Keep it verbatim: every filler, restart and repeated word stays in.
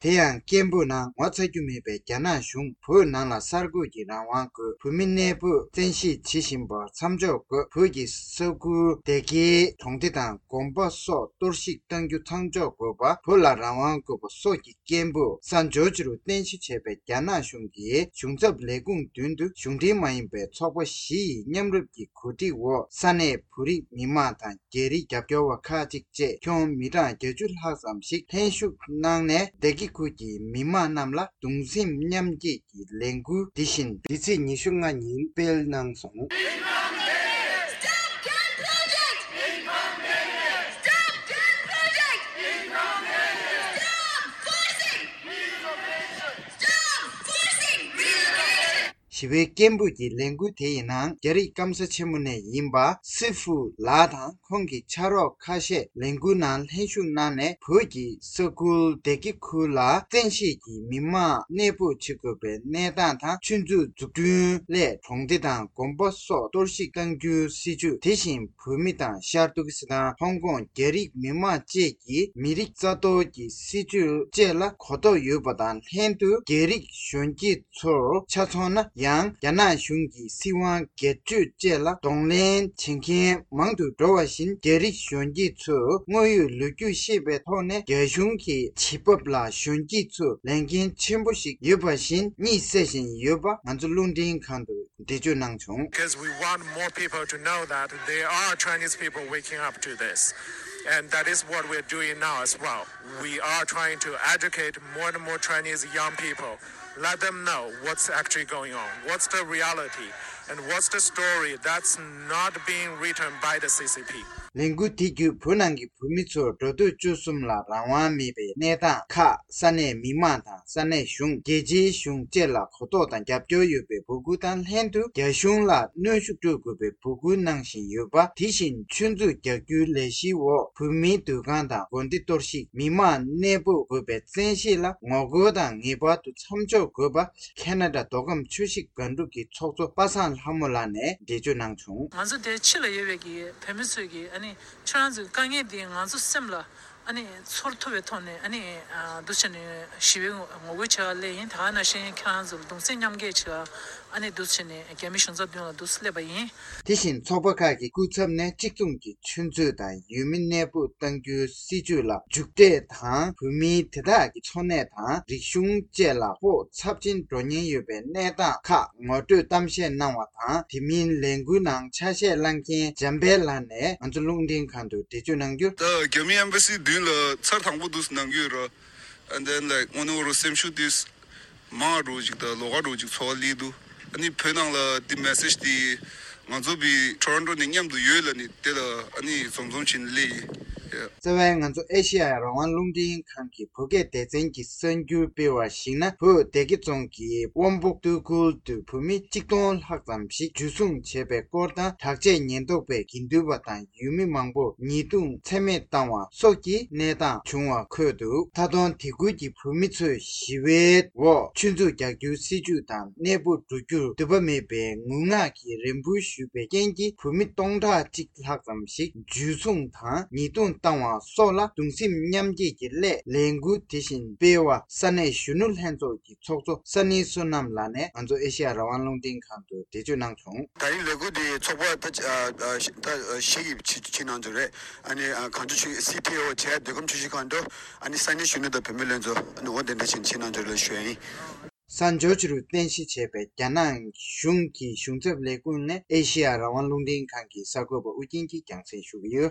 དེ་ཡང་སྐད་འབོད་ནང་ངོ་ཚ་རྒྱུ་མེད་པའི་རྒྱ་ནག་གཞུང་བོད་ནང་ལ་གསར་འགོད་ཀྱི་རང་དབང་དགོས། བོད་མི་གནས་སྤོས་བཙན་ཤེད་བྱེད་བཞིན་པར་མཚམས་འཇོག་དགོས། བོད་ཀྱི་ས་ཁུལ་བདེ་སྐྱིད་གྲོང་སྡེ་དང་དགོན་པ་སོགས་གཏོར་བཤིག་གཏང་རྒྱུ་མཚམས་འཇོག་དགོས་པ། བོད་ལ་རང་དབང་དགོས་པ་སོགས་ཀྱི་སྐད་འབོད་ས་འཇོ་ཅི་རུ་རྟེན་གཞི་བྱས་པའི་རྒྱ་ནག་གཞུང་གི་གཞུང་ཚབ་ལས་ཁུངས་མདུན་དུ་གཞུང་འབྲེལ་མ་ཡིན་པའི་ཚོགས་པ་བཞི་ཡི་མཉམ་རུབ་ཀྱི་གོ་སྒྲིག་འོག་ས་གནས་བོད་རིགས་མི་མང་དང་རྒྱ་རིགས་རྒྱབ་སྐྱོར་བ་ཁག་ཅིག་བཅས་ཁྱོན་མི་གྲངས་བརྒྱད་ཅུ་ལྷག་ཙམ་ཞིག་ལྷན་ཞུགས་གནང་ནས་བདེ་སྐྱིད་ཁུལ་གྱི་མི་མང་རྣམས་ལ་གདུང་སེམས་མཉམ་སྐྱེད་ཀྱི་ལས་འགུལ་འདི་བཞིན་འདི་ཚེས་ཉི་ཤུ་ལྔ་ཉིན་སྤེལ་གནང་སོང་། Stop gun project! Stop gun project! Stop forcing! Stop forcing relocation! ཞི་བའི་སྐད་འབོད་ཀྱི་ལས་འགུལ་དེ་ཡི་ནང་རྒྱ་རིགས་སྐམ་ས་ཆེན་མོ་ནས་ཡིན་པ་སི་ཧྥུ་ལགས་དང་ཁོང་གི་ཕྱག་རོགས་ཁ་ཤས་ལས་འགུལ་ནང་ལྷན་ཞུགས་གནང་ནས་བོད་ཀྱི་ས་ཁུལ་བདེ་སྐྱིད་ཁུལ་ལ་བཙན་ཤེད་ཀྱིས་མི་མང་གནས་སྤོས་བྱེད་དགོས་པའི་གནས་སྟངས་དང་། ཆུ་མཛོད་འཛུགས་སྐྲུན་སླད་གྲོང་སྡེ་དང་དགོན་པ་སོགས་གཏོར་བཤིག་གཏང་རྒྱུའི་སྲིད་བྱུས། དེ་བཞིན་བོད་མི་དང་ཤར་ཏུར་ཀི་སི་ཐན། ཧོང་ཀོང་། རྒྱ་རིགས་མི་མང་བཅས་ཀྱི་མི་རིགས་རྩ་གཏོར་གྱི་སྲིད་བྱུས་བཅས་ལ་གོ་རྟོགས་ཡོད་པ་དང་ལྷན་དུ་རྒྱ་རིགས་གཞོན་སྐྱེས་ཚོར་ཆ་མཚོན་ན་ཡང་རྒྱ་ནག་གཞུང་གི་སྲིད་དབང་སྒེར་གཅོད་བཅས་ལ་གདོང་ལེན་བྱེད་མཁན་མང་དུ་འགྲོ་བ་བཞིན། རྒྱ་རིགས་གཞོན་སྐྱེས་ཚོས་དངོས་ཡོད་ལོ་རྒྱུས་ཤེས་པའི་ཐོག་ནས་རྒྱ་གཞུང་གི་བྱེད་བབ་ལ་གཞོན་སྐྱེས་ཚོས་ལས་འགན་ཆེན་པོ་ཞིག་ཡོད་པ་བཞིན་གཉིད་སད་བཞིན་ཡོད་པ་ང་ཚོ་རླུང་འཕྲིན་ཁང་དུ་འགྲེལ་བརྗོད་གནང་བྱུང་། Because we want more people to know that there are Chinese people waking up to this. And that is what we're doing now as well. We are trying to educate more and more Chinese young people, let them know what's actually going on, what's the reality, and what's the story that's not being written by the C C P. ལས་འགུལ་དེ་བརྒྱུད་བོད་ནང་གི་བོད་མི་ཚོར་འགྲོ་སྡོད་སྤྱོད་གསུམ་ལ་རང་དབང་མེད་པའི་གནས་སྟངས་ཁག་ས་གནས་མི་མང་དང་ས་གནས་གཞུང་། རྒྱལ་སྤྱིའི་གཞུང་བཅས་ལ་གོ་རྟོགས་དང་རྒྱབ་སྐྱོར་ཡོད་པའི་འབོད་སྐུལ་དང་ལྷན་དུ་རྒྱ་གཞུང་ལ་གནོན་ཤུགས་སྤྲོད་དགོས་པའི་འབོད་སྐུལ་གནང་བཞིན་ཡོད་པ། དེ་བཞིན་ཆུ་མཛོད་རྒྱག་རྒྱུའི་ལས་གཞིའི་འོག་བོད་མིའི་སྡོད་ཁང་དང་དགོན་སྡེ་གཏོར་བཤིག་མི་མང་གནས་སྤོ་དགོས་པའི་བཙན་ཤེད་ལ་ངོ་རྒོལ་དང་ངེས་པར་དུ་མཚམས་འཇོག་དགོས་པ། ཁེ་ན་ཌ་མདོ་ཁམས་ཆུ་བཞི་སྒང་དྲུག་གི་ཚོགས་གཙོ་པ་སངས་ལྷ་མོ་ལགས་ནས་འགྲེལ་བརྗོད་གནང་བྱུང་། ང་ཚོ་དེ་ཕྱི་ལ་ཡོད་པའི་གི་བོད་མི་ཚོས་གི་ཨ་ནི་ཁྱོད་རང་ཚོའི་དཀའ་ངལ་འདི་ང་ཚོ་སེམས་ལ་ཨ་ནི་ཚོར་ཐུབ་པའི་ཐོག་ནས་ཨ་ནི་ཨ་འདུག་བྱས་ནས་ཞི་བའི་ངོ་རྒོལ་བྱེད་པ་སླེབས་ཡིན། ད་ག་ནང་བཞིན་ཁྱེད་རང་ཚོ་ལ་གདུང་སེམས་མཉམ་སྐྱེད་བྱེད་པ་ཨ་ནི་འདུག་བྱས་ནས་རྒྱ་མི་གཞུང་ཚབ་མདུན་ལ་འདུག་སླེབས་པ་ཡིན། དེ་བཞིན་ཚོགས་པ་ཁག་གི་སྐུ་ཚབ་ནས་གཅིག་མཚུངས་ཀྱི་ཆུ་མཛོད་དང་ཡུལ་མི་གནས་སྤོ་གཏང་རྒྱུའི་སྲིད་བྱུས་ལ་མཇུག་འབྲས་དང་བོད་མིའི་དེ་དག་གི་འཚོ་གནས་དང་རིག་གཞུང་བཅས་ལ་སྤོ་ཚབས་ཆེན་འགྲོ་ཉེན་ཡོད་པའི་གནས་སྟངས་ཁག་ངོ་སྤྲོད་གཏམ་བཤད་གནང་བ་དང་། དེ་མིན་ལས་འགུལ་ནང་ཆ་ཤས་བླངས་མཁན་འཇམ་དཔལ་ལགས་ནས་ང་ཚོ་རླུང་འཕྲིན་ཁང་དུ་འགྲེལ་བརྗོད་གནང་རྒྱུར། ད་རྒྱ་མི་ཨེམ་བྷ་སི་མདུན་ལ་ཚར་དང་པོ་འདུག་གནང་གི་ཡོད་ར། And then, like, དངོས་གནས་རུ་སེམས་ཤུགས་དེ་མང་རུ་ཅིག་དང་ལོགས་ཀ་རུ་ཅིག་ཚོར་བ་སླེབས་འདུག་ཨ་ནི་བོད་ནང་ལ་དེ་མེ་སེ་ཇི་དེ་ང་ཚོ་བི་ཊོ་རོན་ཊོ་ནས་མཉམ་དུ་ཡོད་ལ་ནི་དེ་ལ་ཨ་ནི་འཛོམས་འཛོམས་བྱས་ནས་སླེབས་ཡིན། རྩ་བའི་ང་ཚོ་ཨེ་ཤེ་ཡ་རང་དབང་རླུང་འཕྲིན་ཁང་གི་བོད་སྐད་སྡེ་ཚན་གྱི་གསར་འགྱུར་སྤེལ་བར་གཞིགས་ན། བོད་སྡེ་དགེ་རྫོང་གི་དབོན་སྦུག་སྟོད་ཁུལ་དུ་བོད་མི་གཅིག་སྟོང་ལྷག་ཙམ་ཞིག་འཇུ་བཟུང་བྱས་པའི་སྐོར་དང་། དྲག་ཆས་ཉེན་རྟོག་པས་དགེ་འདུན་པ་དང་ཡུལ་མི་མང་པོར་ཉེས་རྡུང་ཚད་མེད་བཏང་བ་སོགས་ཀྱི་གནས་སྟངས་བྱུང་བ་འཁོད་འདུག་མཐའ་དོན་དེ་ཁུལ་གྱི་བོད་མི་ཚོས་ཞི་བའི་འོག་ཆུ་མཛོད་རྒྱག་རྒྱུའི་སྲིད་བྱུས་དང་གནས་སྤོ་འགྲོ་རྒྱུར་འདོད་པ་མེད་པའི་ངུ་ངག་གི་རེ་འབོད་ཞུས་པའི་རྐྱེན་གྱིས་བོད་མི་སྟོང་ཕྲག་གཅིག་ལྷག་ཙམ་ཞིག་འཇུ་བཟུང་དང་ཉེས་རྡུང་བཏང་བ་སོགས་ལ་གདུང་སེམས་མཉམ་སྐྱེད་ཀྱི་སླད་ལས་འགུལ་དེ་བཞིན་སྤེལ་བ་ས་གནས་གཞོན་ནུ་ལྷན་ཚོགས་ཀྱི་ཚོགས་གཙོ་ས་ནི་བསོད་ནམས་ལགས་ནས་ང་ཚོ་ཨེ་ཤེ་ཡ་རང་དབང་རླུང་འཕྲིན་ཁང་དུ་འགྲེལ་བརྗོད་གནང་བྱུང་། ད་རིང་ལས་འགུལ་འདི་ཚོགས་པ་ད་ད་བཞི་གིས་བྱེད་བྱེད་གནང་འདུག་རེད། ཨ་ནི་གངས་ལྗོངས་ཆུ་སི་ཊི་ཨོ་བྱས་འདི་གམ་ཆུ་བཞི་སྒང་དྲུག་ཨ་ནི་ས་གནས་གཞོན་ནུ་དང་བུད་མེད་ལྷན་ཚོགས་ཨ་ནི་འོ་དེ་འདྲ་བྱེད་བྱེད་གནང་འདུག་ལ་ཞུ་ཡ་ཡིན། ས་འཇོ་ཅི་རུ་རྟེན་གཞི་བྱས་པའི་རྒྱ་ནག་གཞུང་གི་གཞུང་ཚབ་ལས་ཁུངས་ནས་ཨེ་ཤེ་ཡ་རང་དབང་རླུང་འཕྲིན་ཁང་གི་གསར་འགོད་པ་ཨུ་རྒྱན་གྱིས་རྒྱང་སྲིང་ཞུ་གི་ཡོད།